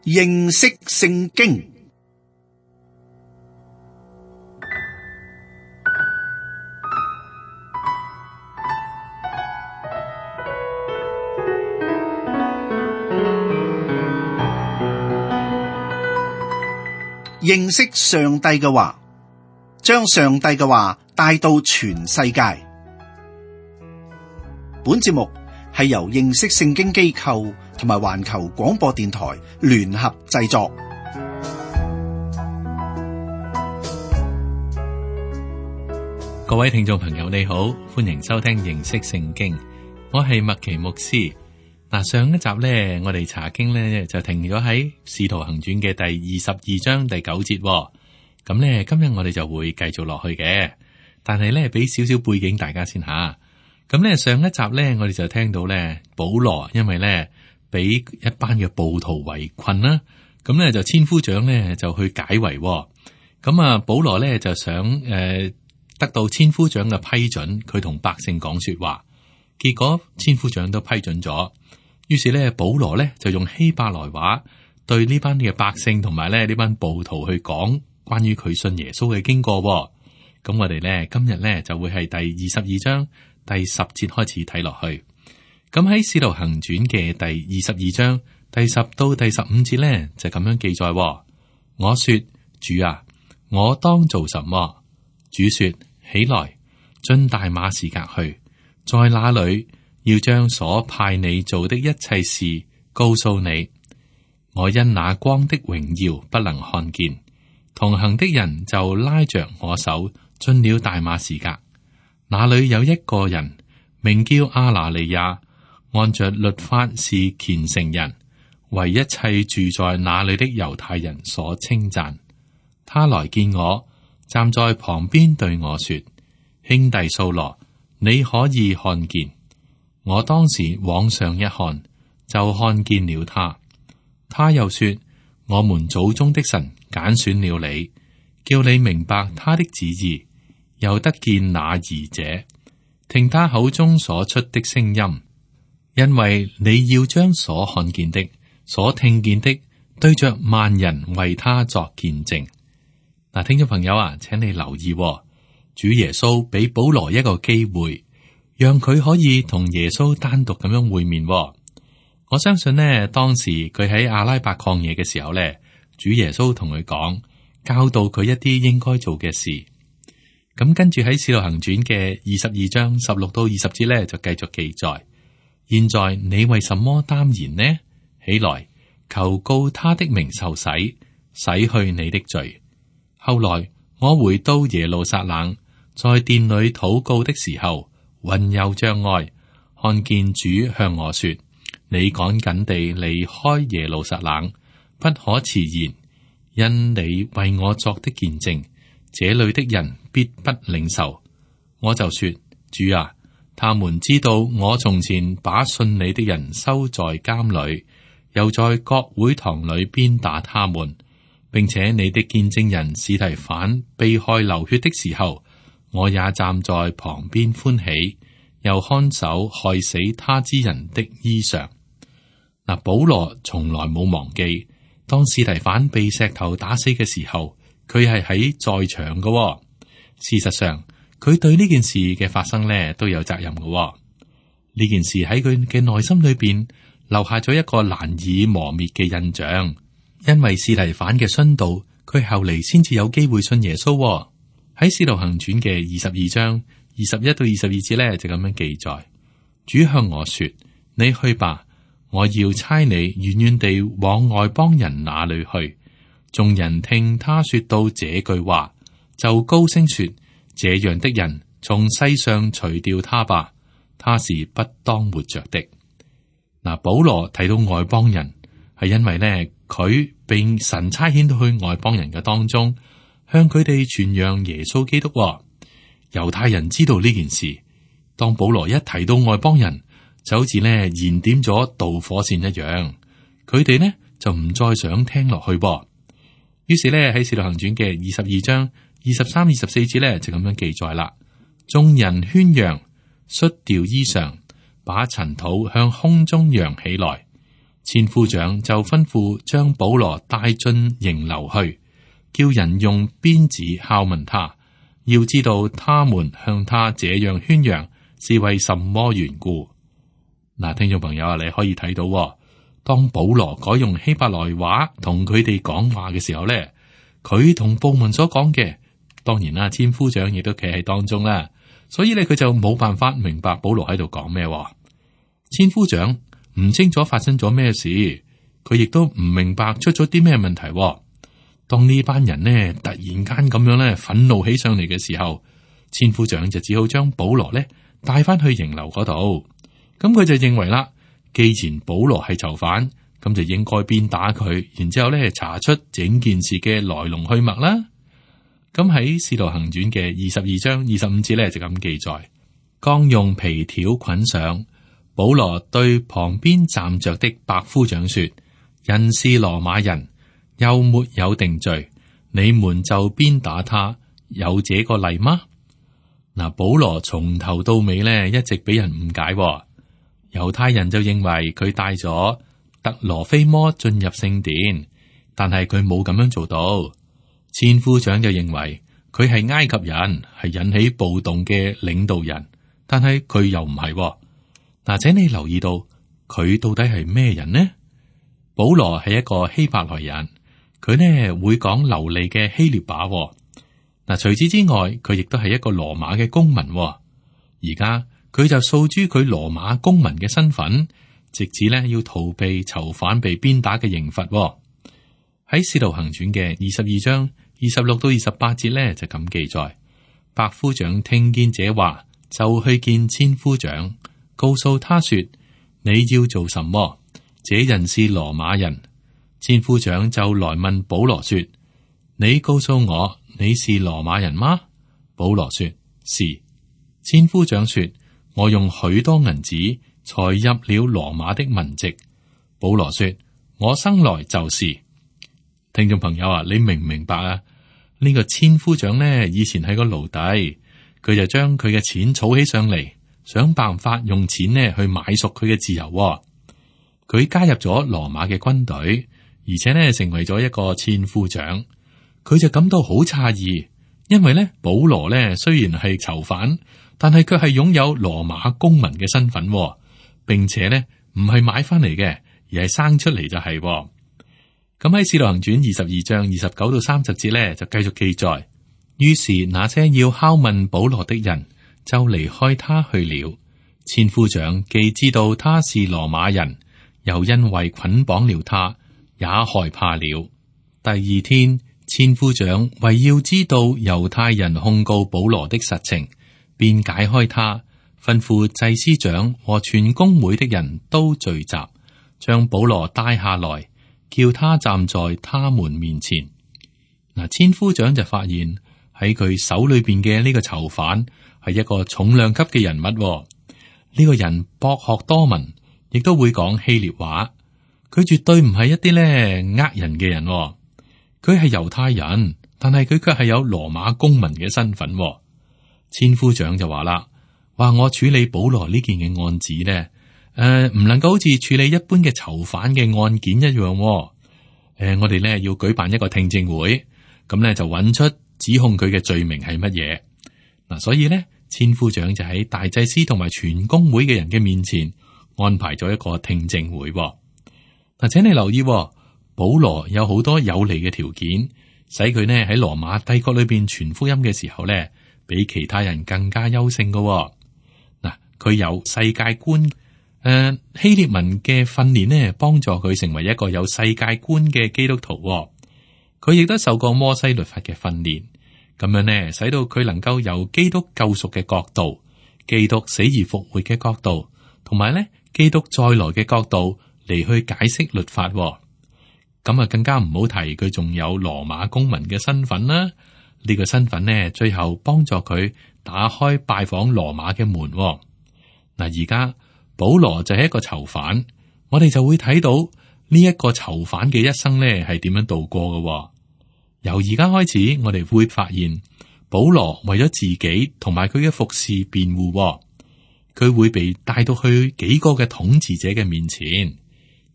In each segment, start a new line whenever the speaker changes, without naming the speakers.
認識聖經。認識上帝嘅話，將上帝嘅話帶到全世界。本節目係由認識聖經機構同埋環球廣播電台聯合製作。
各位聽眾朋友，你好，歡迎收聽認識聖經。我係麥奇牧師。上一集呢，我哋查經呢就停咗喺《使徒行傳》嘅第22章第9節。咁呢，今日我哋就會繼續落去嘅。但係呢，俾少少背景大家先吓。咁呢，上一集呢，我哋就聽到呢，保羅因為呢俾一班嘅暴徒圍困啦，咁呢就千夫長呢就去解圍。咁啊，保羅呢就想得到千夫長嘅批准，佢同百姓講說話。結果千夫長都批准咗。於是咧，保羅咧就用希伯來話對呢班嘅百姓同埋咧呢班暴徒去講關於佢信耶穌嘅經過。咁我哋咧今日咧就會係第22章第10節開始睇落去。咁喺使徒行傳嘅第22章第10到第15節咧就咁樣記載。我說，主啊，我當做什麼？主說，起來，進大馬士革去，在那裏要將所派你做的一切事告訴你。我因那光的榮耀不能看見，同行的人就拉着我手進了大馬士革。那裏有一個人名叫亞拿尼亞，按着律法是虔誠人，為一切住在那裏的猶太人所稱讚。他來見我，站在旁邊對我說：兄弟掃羅，你可以看見。我當時往上一看，就看見了他。他又說：我們祖宗的神揀選了你，叫你明白他的旨意，又得見那義者，聽他口中所出的聲音。因為你要將所看見的、所聽見的，對着萬人為他作見證。嗱，聽眾朋友啊，請你留意，主耶穌俾保羅一個機會，讓佢可以同耶穌單獨咁樣會面。我相信呢，當時佢喺阿拉伯曠野嘅時候呢，主耶穌同佢講，教導佢一啲應該做嘅事。咁跟住喺使徒行傳嘅22章16到20節呢，就繼續記載。現在你為什麼耽延呢？起來，求告他的名受洗，洗去你的罪。後來我回到耶路撒冷，在殿裏禱告的時候，魂遊象外，看見主向我說：你趕緊地離開耶路撒冷，不可遲延，因你為我作的見證，這裏的人必不領受。我就說：主啊，他們知道我從前把信你的人收在監裏，又在各會堂裏鞭打他們，並且你的見證人司提反被害流血的時候，我也站在旁邊歡喜，又看守害死他之人的衣裳。嗱，保羅從來冇忘記，當司提反被石頭打死嘅時候，佢係喺在場嘅。事實上，佢對呢件事嘅發生呢都有責任嘅。呢件事喺佢嘅內心裏邊留下咗一個難以磨滅嘅印象，因為司提反嘅殉道，佢後嚟先至有機會信耶穌。喺《使徒行傳》嘅22章21到22節咧，就咁樣記載：主向我說，你去吧，我要差你遠遠地往外邦人那裏去。眾人聽他說到這句話，就高聲說：這樣的人從世上除掉他吧，他是不當活着的。嗱，保羅提到外邦人，係因為呢，佢被神差遣到去外邦人嘅當中，向佢哋傳揚耶穌基督。猶太人知道呢件事，當保羅一提到外邦人，就好似呢燃點咗導火線一樣，佢哋呢就唔再想聽落去。於是呢，喺《使徒行傳》嘅22章23、24節呢，就咁樣記載啦。眾人喧嚷，摔掉衣裳，把塵土向空中揚起來。千夫長就吩咐將保羅帶進營樓去，叫人用鞭子拷問他，要知道他們向他這樣宣揚是為什麼緣故。嗱，聽眾朋友啊，你可以睇到，當保羅改用希伯來話同佢哋講話嘅時候咧，佢同部門所講嘅，當然啦，千夫長亦都企喺當中啦，所以咧佢就冇辦法明白保羅喺度講咩。千夫長唔清楚發生咗咩事，佢亦都唔明白出咗啲咩問題。當呢班人呢突然間咁樣咧憤怒起上嚟嘅時候，千夫長就只好將保羅咧帶翻去營樓嗰度。咁佢就認為啦，既然保羅係囚犯，咁就應該鞭打佢，然之後咧查出整件事嘅來龍去脈啦。咁喺《使徒行傳》嘅22章25節咧就咁記載：剛用皮條捆上，保羅對旁邊站着的百夫長說：人是羅馬人，又沒有定罪，你們就鞭打他，有這個例嗎？嗱，保羅從頭到尾咧一直俾人誤解，猶太人就認為佢帶咗特羅菲摩進入聖殿，但係佢冇咁樣做到。千夫長就認為佢係埃及人，係引起暴動嘅領導人，但係佢又唔係。嗱，請你留意到佢到底係咩人呢？保羅係一個希伯來人，佢呢會講流利嘅希臘話。嗱，除此之外，佢亦都係一個羅馬嘅公民。而家佢就訴諸佢羅馬公民嘅身份，直至呢要逃避囚犯被鞭打嘅刑罰。喺《使徒行傳》嘅22章26到28節呢，就咁記載：百夫長聽見這話，就去見千夫長，告訴他說：你要做什麼？這人是羅馬人。千夫長就來問保羅說：你告訴我，你是羅馬人嗎？保羅說：是。千夫長說：我用許多銀子才入了羅馬的民籍。保羅說：我生來就是。聽眾朋友啊，你明唔明白啊？呢個千夫長呢，以前係個奴隸，佢就將佢嘅錢儲起上嚟，想辦法用錢呢去買贖佢嘅自由。佢加入咗羅馬嘅軍隊，而且呢成為咗一個千夫長。佢就感到好詫異，因為呢保羅呢雖然係囚犯，但係佢係擁有羅馬公民嘅身份，並且呢唔係買翻嚟嘅，而係生出嚟就係。咁喺《使徒行傳》22章29到30節呢，就繼續記載。於是那些要拷問保羅的人就離開他去了。千夫長既知道他是羅馬人，又因為捆綁了他，也害怕了。第二天，千夫長為要知道猶太人控告保羅的實情，便解開他，吩咐祭司長和全公會的人都聚集，將保羅帶下來，叫他站在他們面前。嗱，千夫長就發現喺佢手裏邊嘅呢個囚犯係一個重量級嘅人物。呢個人博學多聞，亦都會講希臘話。佢絕對唔係一啲呃人嘅人。佢係猶太人，但係佢卻係有羅馬公民嘅身份。千夫長就話啦：話我處理保羅呢件嘅案子呢，唔能夠好似處理一般嘅囚犯嘅案件一樣。我哋呢要舉辦一個聽證會，咁呢就揾出指控佢嘅罪名係乜嘢。嗱，所以呢，千夫長就喺大祭司同埋全公會嘅人嘅面前安排咗一個聽證會。嗱，請你留意，保羅有好多有利嘅條件，使佢呢喺羅馬帝國裏邊傳福音嘅時候呢，比其他人更加優勝嘅。嗱，佢有世界觀，希臘文嘅訓練呢，幫助佢成為一個有世界觀嘅基督徒。佢亦都受過摩西律法嘅訓練，咁樣呢，使到佢能夠由基督救贖嘅角度、基督死而復活嘅角度，同埋呢基督再來嘅角度嚟去解釋律法。咁啊，更加唔好提佢仲有羅馬公民嘅身份啦。呢個身份呢，最後幫助佢打開拜訪羅馬嘅門。嗱，而家保羅就係一個囚犯，我哋就會睇到呢一個囚犯嘅一生呢係點樣度過嘅。由而家開始，我哋會發現保羅為咗自己同埋佢嘅服侍辯護，佢會被帶到去幾個嘅統治者嘅面前。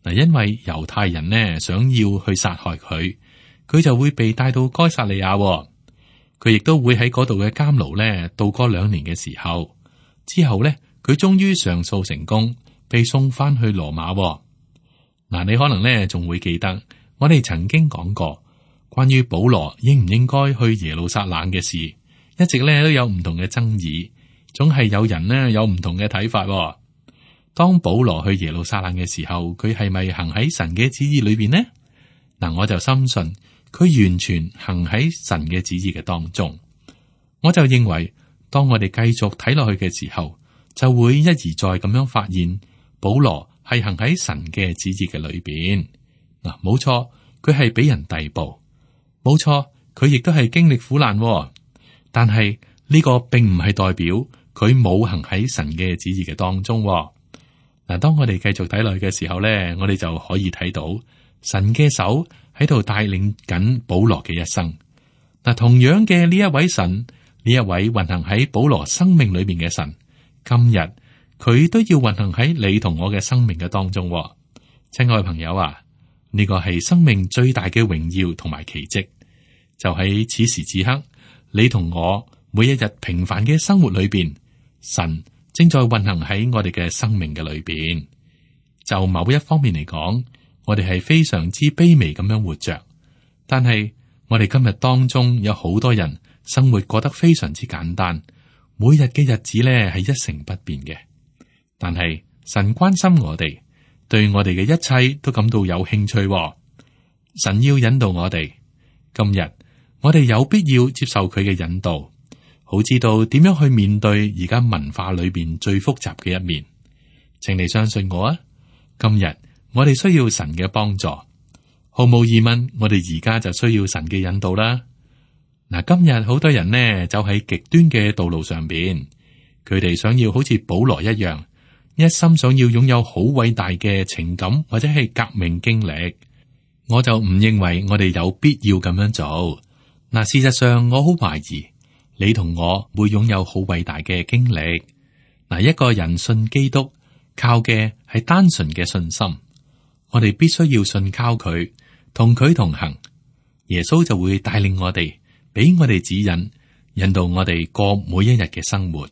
嗱，因為猶太人呢想要去殺害佢，佢就會被帶到該撒利亞。佢亦都會喺嗰度嘅監牢呢度過2年嘅時候，之後呢，佢終於上訴成功，被送翻去羅馬。嗱，你可能呢仲會記得我哋曾經講過關於保羅應唔應該去耶路撒冷嘅事，一直呢都有唔同嘅爭議，總係有人呢有唔同嘅睇法。當保羅去耶路撒冷嘅時候，佢係咪行喺神嘅旨意裏邊呢？嗱，我就深信佢完全行喺神嘅旨意嘅當中。我就認為，當我哋繼續睇落去嘅時候，就會一而再咁樣發現保羅係行喺神嘅旨意嘅裏邊。嗱，冇錯，佢係俾人逮捕，冇錯，佢亦都係經歷苦難。但係呢個並唔係代表佢冇行喺神嘅旨意嘅當中。嗱，當我哋繼續睇落去嘅時候咧，我哋就可以睇到神嘅手喺度帶領緊保羅嘅一生。嗱，同樣嘅呢一位神，呢一位運行喺保羅生命裏面嘅神，今日佢都要運行喺你同我嘅生命嘅當中。親愛朋友啊，呢個係生命最大嘅榮耀同埋奇蹟，就喺此時此刻，你同我每一日平凡嘅生活裏邊，神正在運行喺我哋嘅生命嘅裏邊。就某一方面嚟講，我哋係非常之卑微咁樣活着，但係我哋今日當中有好多人生活過得非常之簡單，每日嘅日子咧係一成不變嘅。但係神關心我哋，對我哋嘅一切都感到有興趣。神要引導我哋，今日我哋有必要接受佢嘅引導，好知道點樣去面對而家文化裏邊最複雜嘅一面。請你相信我啊！今日我哋需要神嘅幫助，毫無疑問，我哋而家就需要神嘅引導啦。嗱，今日好多人呢走喺極端嘅道路上邊，佢哋想要好似保羅一樣，一心想要擁有好偉大嘅情感或者係革命經歷。我就唔認為我哋有必要咁樣做。嗱，事實上我好懷疑你同我會擁有好偉大嘅經歷。嗱，一個人信基督，靠嘅係單純嘅信心。我哋必須要信靠佢，同佢同行，耶穌就會帶領我哋，俾我哋指引，引導我哋過每一日嘅生活。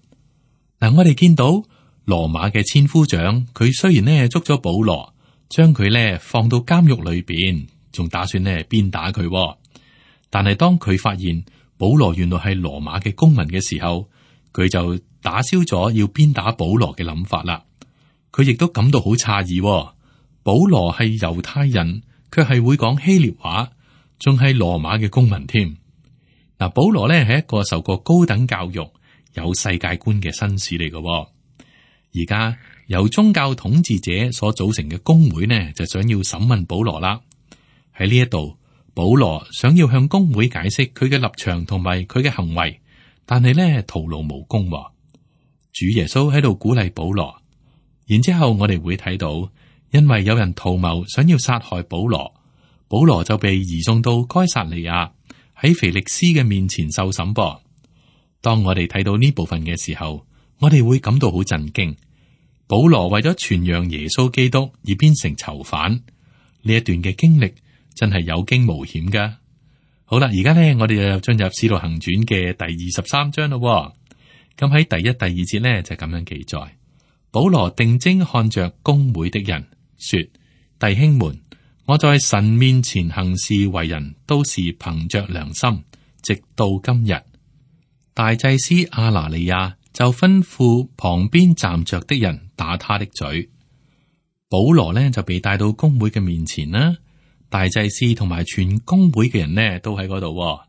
嗱，我哋見到羅馬嘅千夫長，佢雖然呢捉咗保羅，將佢呢放到監獄裏邊，仲打算呢鞭打佢。但係當佢發現保羅原來係羅馬嘅公民嘅時候，佢就打消咗要鞭打保羅嘅諗法啦。佢亦都感到好詫異，保羅係猶太人，卻係會講希臘話，仲係羅馬嘅公民添。嗱，保羅呢係一個受過高等教育、有世界觀嘅紳士嚟嘅。而家由宗教統治者所組成嘅公會呢，就想要審問保羅啦。喺呢一度，保羅想要向公會解釋佢嘅立場同埋佢嘅行為，但係呢徒勞無功。主耶穌喺度鼓勵保羅。然之後我哋會睇到，因為有人圖謀想要殺害保羅，保羅就被移送到該撒利亞，喺腓力斯嘅面前受審噃。當我哋睇到呢部分嘅時候，我哋會感到好震驚。保羅為咗傳揚耶穌基督而變成囚犯，呢一段嘅經歷真係有驚無險噶。好啦，而家呢，我哋就進入使徒行傳嘅第23章咯。咁喺第1、第2節呢，就咁樣記載。保羅定睛看着公會的人，說：弟兄們，我在神面前行事為人，都是憑着良心，直到今日。大祭司亞拿尼亞就吩咐旁邊站着的人打他的嘴。保羅呢就被帶到公會嘅面前啦，大祭司同埋全公會嘅人呢都喺嗰度。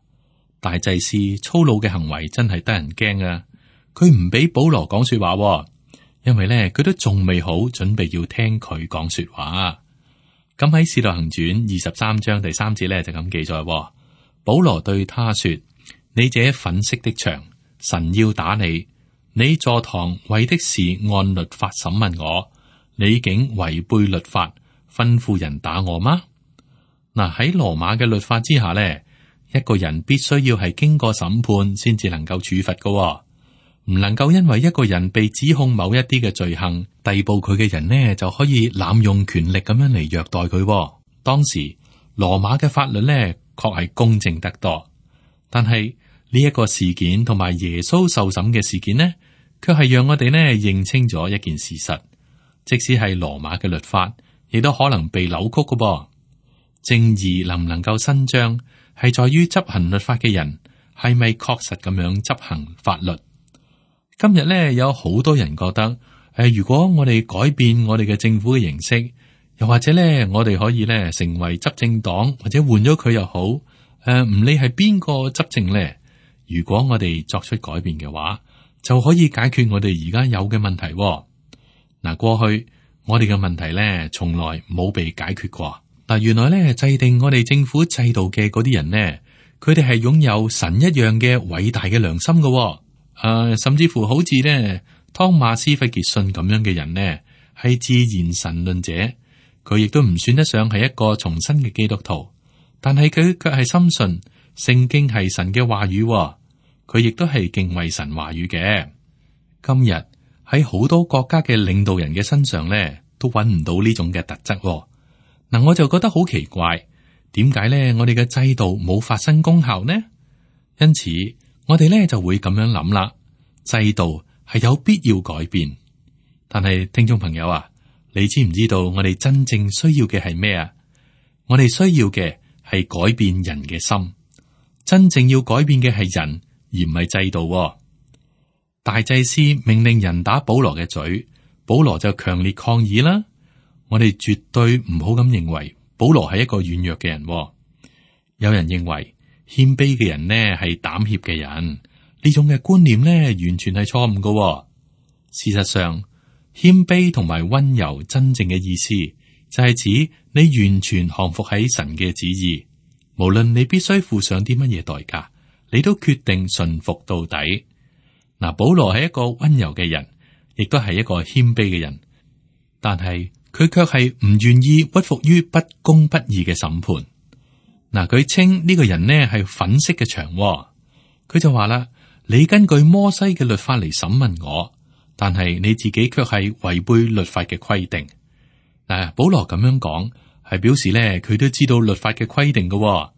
大祭司粗魯嘅行為真係得人驚啊！佢唔俾保羅講說話。因為咧，佢都仲未好準備要聽佢講說話。咁喺《使徒行傳》23章第3節咧就咁記載：保羅對他說：你這粉飾的牆，神要打你。你坐堂為的是按律法審問我，你竟違背律法，吩咐人打我嗎？嗱，喺羅馬嘅律法之下咧，一個人必須要係經過審判先至能夠處罰噶。唔能夠因為一個人被指控某一啲嘅罪行，逮捕佢嘅人呢就可以濫用權力咁樣嚟虐待佢。當時羅馬嘅法律呢確係公正得多，但係呢一個事件同埋耶穌受審嘅事件呢，卻係讓我哋呢認清咗一件事實，即使係羅馬嘅律法，亦都可能被扭曲嘅噃。正義能唔能夠伸張，係在於執行律法嘅人係咪確實咁樣執行法律。今日咧有好多人覺得，如果我哋改變我哋嘅政府嘅形式，又或者咧我哋可以咧成為執政黨，或者換咗佢又好，唔理係邊個執政咧，如果我哋作出改變嘅話，就可以解決我哋而家有嘅問題。嗱，過去我哋嘅問題咧，從來冇被解決過。但原來咧制定我哋政府制度嘅嗰啲人呢，佢哋係擁有神一樣嘅偉大嘅良心嘅。甚至乎好似咧湯馬斯費傑遜咁樣嘅人呢，係自然神論者，佢亦都唔算得上係一個重生嘅基督徒，但係佢卻係深信聖經係神嘅話語，佢亦都係敬畏神話語嘅。今日喺好多國家嘅領導人嘅身上咧，都揾唔到呢種嘅特質。嗱，我就覺得好奇怪，點解咧我哋嘅制度冇發生功效呢？因此，我哋咧就會咁樣諗啦，制度係有必要改變。但係聽眾朋友啊，你知唔知道我哋真正需要嘅係咩啊？我哋需要嘅係改變人嘅心，真正要改變嘅係人，而唔係制度。大祭司命令人打保羅嘅嘴，保羅就強烈抗議啦。我哋絕對唔好咁認為保羅係一個軟弱嘅人。有人認為謙卑嘅人呢係膽怯嘅人，呢種嘅觀念呢完全係錯誤嘅。事實上，謙卑同埋溫柔真正嘅意思就係指你完全降服喺神嘅旨意，無論你必須付上啲乜嘢代價，你都決定順服到底。嗱，保羅係一個溫柔嘅人，亦都係一個謙卑嘅人，但係佢卻係唔願意屈服於不公不義嘅審判。嗱，佢稱呢個人呢係粉飾嘅牆，佢就話啦：你根據摩西嘅律法嚟審問我，但係你自己卻係違背律法嘅規定。嗱，保羅咁樣講係表示咧，佢都知道律法嘅規定嘅。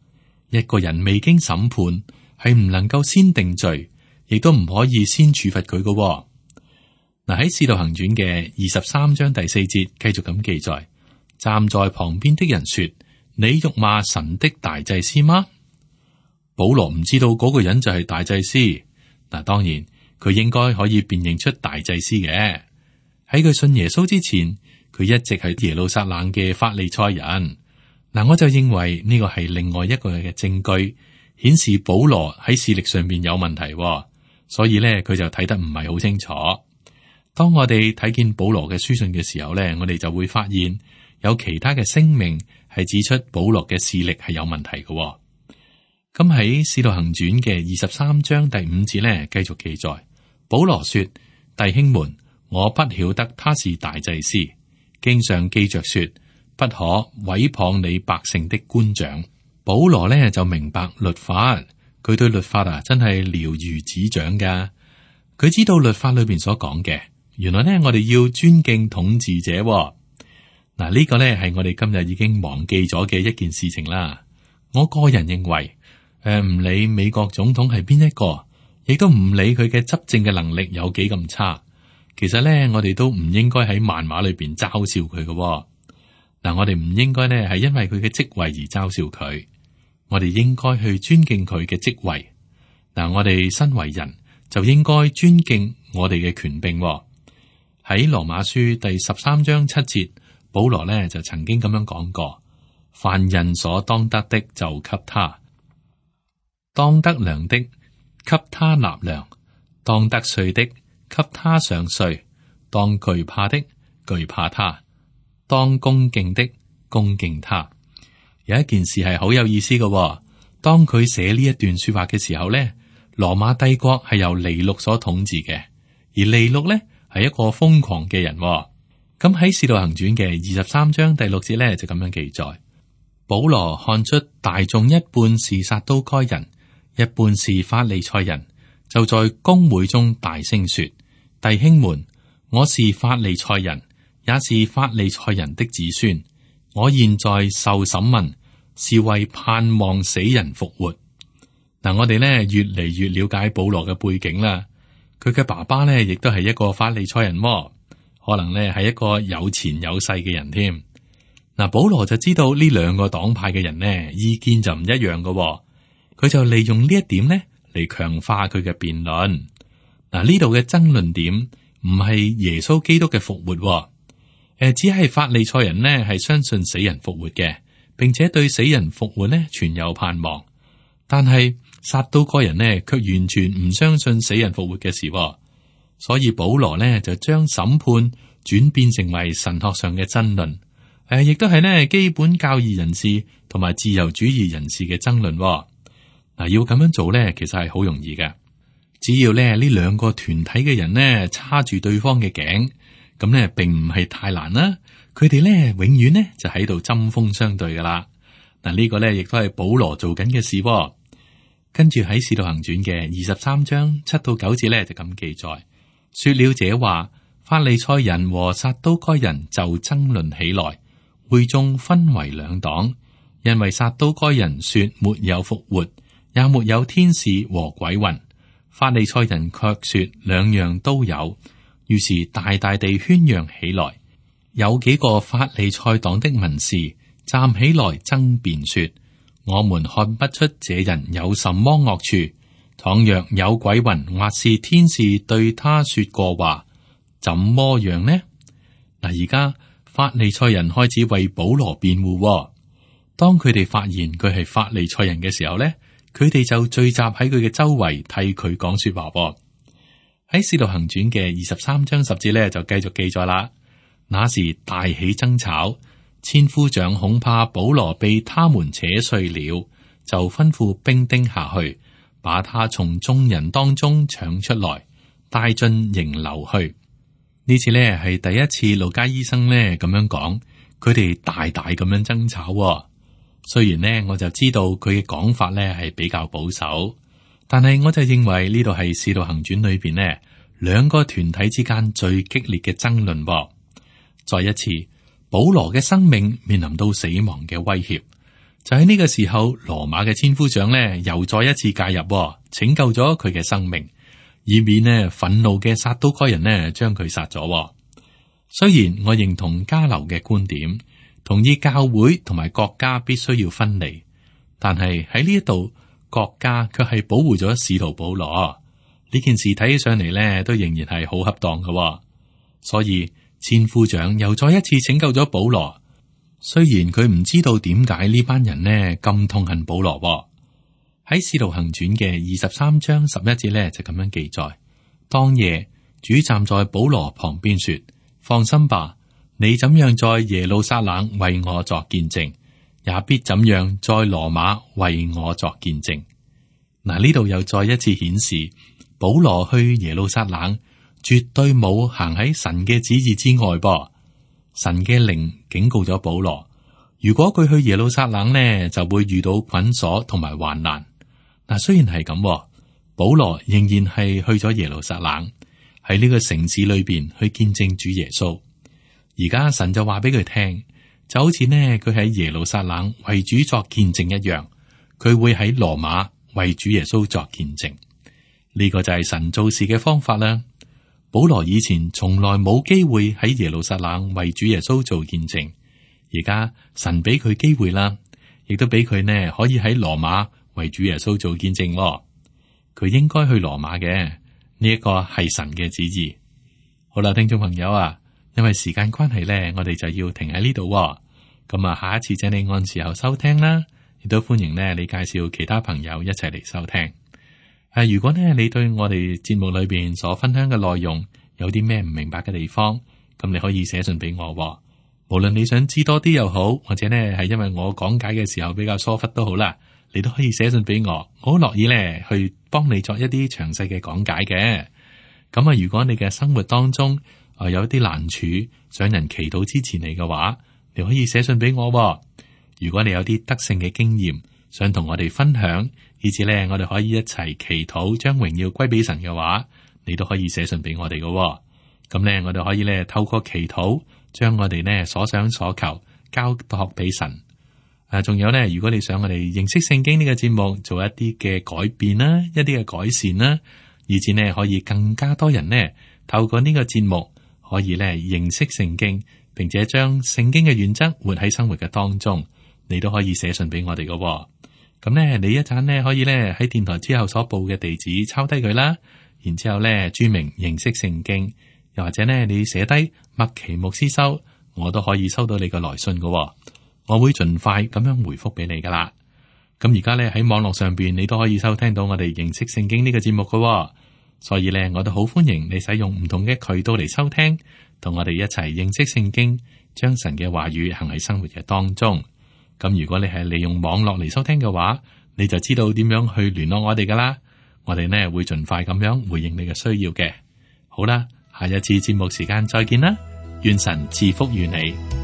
一個人未經審判係唔能夠先定罪，亦都唔可以先處罰佢嘅。嗱，喺《使徒行傳》嘅23章第4節繼續咁記載，站在旁邊的人說：你辱罵神的大祭司嗎？保羅唔知道嗰個人就係大祭司。嗱，當然佢應該可以辨認出大祭司嘅。喺佢信耶穌之前，佢一直係耶路撒冷嘅法利賽人。嗱，我就認為呢個係另外一個嘅證據，顯示保羅喺視力上面有問題，所以咧佢就睇得唔係好清楚。當我哋睇見保羅嘅書信嘅時候咧，我哋就會發現有其他嘅聲明係指出保羅嘅視力係有問題嘅。咁喺《使徒行傳》嘅23章第5節咧，繼續記載，保羅說：弟兄們，我不曉得他是大祭司，經上記着說，不可毀謗你百姓的官長。保羅咧就明白律法，佢對律法真係了如指掌噶。佢知道律法裏邊所講嘅，原來咧我哋要尊敬統治者。嗱，呢個咧係我哋今日已經忘記咗嘅一件事情啦。我個人認為，唔理美國總統係邊一個，亦都唔理佢嘅執政嘅能力有幾咁差，其實咧我哋都唔應該喺漫畫裏邊嘲笑佢嘅。嗱，我哋唔應該咧係因為佢嘅職位而嘲笑佢，我哋應該去尊敬佢嘅職位。嗱，我哋身為人就應該尊敬我哋嘅權柄。喺羅馬書第13章7節，保羅咧就曾經咁樣講過：凡人所當得的就給他，當得糧的給他納糧，當得稅的給他上稅，當懼怕的懼怕他，當恭敬的恭敬他。有一件事係好有意思嘅，當佢寫呢一段說話嘅時候咧，羅馬帝國係由尼祿所統治嘅，而尼祿咧係一個瘋狂嘅人。咁喺《使徒行傳》嘅23章第6節咧就咁樣記載：保羅看出大眾一半是撒都該人，一半是法利賽人，就在公會中大聲說：弟兄們，我是法利賽人，也是法利賽人的子孫。我現在受審問，是為盼望死人復活。嗱，我哋呢越嚟越了解保羅嘅背景啦。佢嘅爸爸呢亦都係一個法利賽人，可能呢係一個有錢有勢嘅人添。嗱，保羅就知道呢兩個黨派嘅人呢意見就唔一樣嘅，佢就利用呢一點呢嚟強化佢嘅辯論。嗱，呢度嘅爭論點唔係耶穌基督嘅復活，只係法利賽人呢係相信死人復活嘅，並且對死人復活呢存有盼望。但係撒都該人呢卻完全唔相信死人復活嘅事，所以保羅呢就將審判轉變成為神學上嘅爭論，亦都係呢基本教義人士同埋自由主義人士嘅爭論。嗱，要咁樣做呢，其實係好容易嘅，只要呢兩個團體嘅人呢叉住對方嘅頸，咁呢並唔係太難啦。佢哋呢永遠呢就喺度針鋒相對噶啦。嗱，呢個呢亦都係保羅做緊嘅事。跟住喺《使徒行傳》嘅23章7到9節呢就咁記載，說了這話，法利賽人和撒都該人就爭論起來，會眾分為兩黨，因為撒都該人說沒有復活，也沒有天使和鬼魂，法利賽人卻說兩樣都有，於是大大地喧嚷起來。有幾個法利賽黨的文士站起來爭辯說：我們看不出這人有什麼惡處，倘若有鬼魂或是天使對他說過話，怎麼樣呢？嗱，而家法利賽人開始為保羅辯護。當佢哋發現佢係法利賽人嘅時候呢，佢哋就聚集喺佢嘅周圍替佢講說話。喺《使徒行傳》嘅23章10節呢，就繼續記載啦。那時大起爭吵，千夫長恐怕保羅被他們扯碎了，就吩咐兵丁下去，把他從眾人當中搶出來，帶進營樓去。呢次呢係第一次路加醫生呢咁樣講，佢哋大大咁樣爭吵。雖然呢我就知道佢嘅講法呢係比較保守，但係我就認為呢度係《使徒行傳》裏邊呢兩個團體之間最激烈嘅爭論。再一次，保羅嘅生命面臨到死亡嘅威脅，就喺呢個時候，羅馬嘅千夫長呢又再一次介入，拯救咗佢嘅生命，以免呢憤怒嘅撒都該人呢將佢殺咗。雖然我認同加流嘅觀點，同意教會同埋國家必須要分離，但係喺呢一度，國家卻係保護咗使徒保羅。呢件事睇起上嚟呢，都仍然係好恰當嘅。所以千夫長又再一次拯救咗保羅。雖然佢唔知道點解呢班人呢咁痛恨保羅。喺《使徒行傳》嘅23章11節呢，就咁樣記載：當夜主站在保羅旁邊說：放心吧，你怎樣在耶路撒冷為我作見證，也必怎樣在羅馬為我作見證。嗱，呢度又再一次顯示保羅去耶路撒冷絕對冇行喺神嘅旨意之外噃。神嘅靈警告咗保羅，如果佢去耶路撒冷呢，就會遇到捆鎖同埋患難。嗱，雖然係咁，保羅仍然係去咗耶路撒冷，喺呢個城市裏邊去見證主耶穌。而家神就話俾佢聽，就好似呢佢喺耶路撒冷為主作見證一樣，佢會喺羅馬為主耶穌作見證。呢個就係神做事嘅方法啦。保羅以前從來冇機會喺耶路撒冷為主耶穌做見證，而家神俾佢機會啦，亦都俾佢呢可以喺羅馬為主耶穌做見證。佢應該去羅馬嘅，呢一個係神嘅旨意。好啦，聽眾朋友啊，因為時間關係呢，我哋就要停喺呢度。咁啊，下一次請你按時候收聽啦，亦都歡迎呢你介紹其他朋友一齊嚟收聽。如果呢你對我哋節目裏邊所分享嘅內容有啲咩唔明白嘅地方，咁你可以寫信俾我。無論你想知多啲又好，或者呢係因為我講解嘅時候比較疏忽都好啦，你都可以寫信俾我，我好樂意呢去幫你作一啲詳細嘅講解嘅。咁啊，如果你嘅生活當中有啲難處，想人祈禱支持你嘅話，你可以寫信俾我。如果你有啲得勝嘅經驗，想同我哋分享，以至咧我哋可以一齊祈禱，將榮耀歸俾神嘅話，你都可以寫信俾我哋嘅。咁咧，我哋可以咧透過祈禱，將我哋呢所想所求交託俾神。仲有咧，如果你想我哋認識聖經呢個節目做一啲嘅改變啦，一啲嘅改善啦，以至呢可以更加多人呢透過呢個節目可以咧認識聖經，並且將聖經嘅原則活喺生活嘅當中，你都可以寫信俾我哋嘅。咁咧，你一陣呢可以咧喺電台之後所報嘅地址抄低佢啦，然之後咧注明認識聖經，又或者呢你寫低麥奇牧師收，我都可以收到你嘅來信嘅。我會盡快咁樣回覆俾你噶啦。咁而家咧喺網絡上邊，你都可以收聽到我哋認識聖經呢個節目嘅。所以咧，我都好歡迎你使用唔同嘅渠道嚟收聽，同我哋一齊認識聖經，將神嘅話語行喺生活嘅當中。咁如果你係利用網絡嚟收聽嘅話，你就知道點樣去聯絡我哋噶啦。我哋呢會盡快咁樣回應你嘅需要嘅。好啦，下一次節目時間再見啦，願神賜福於你。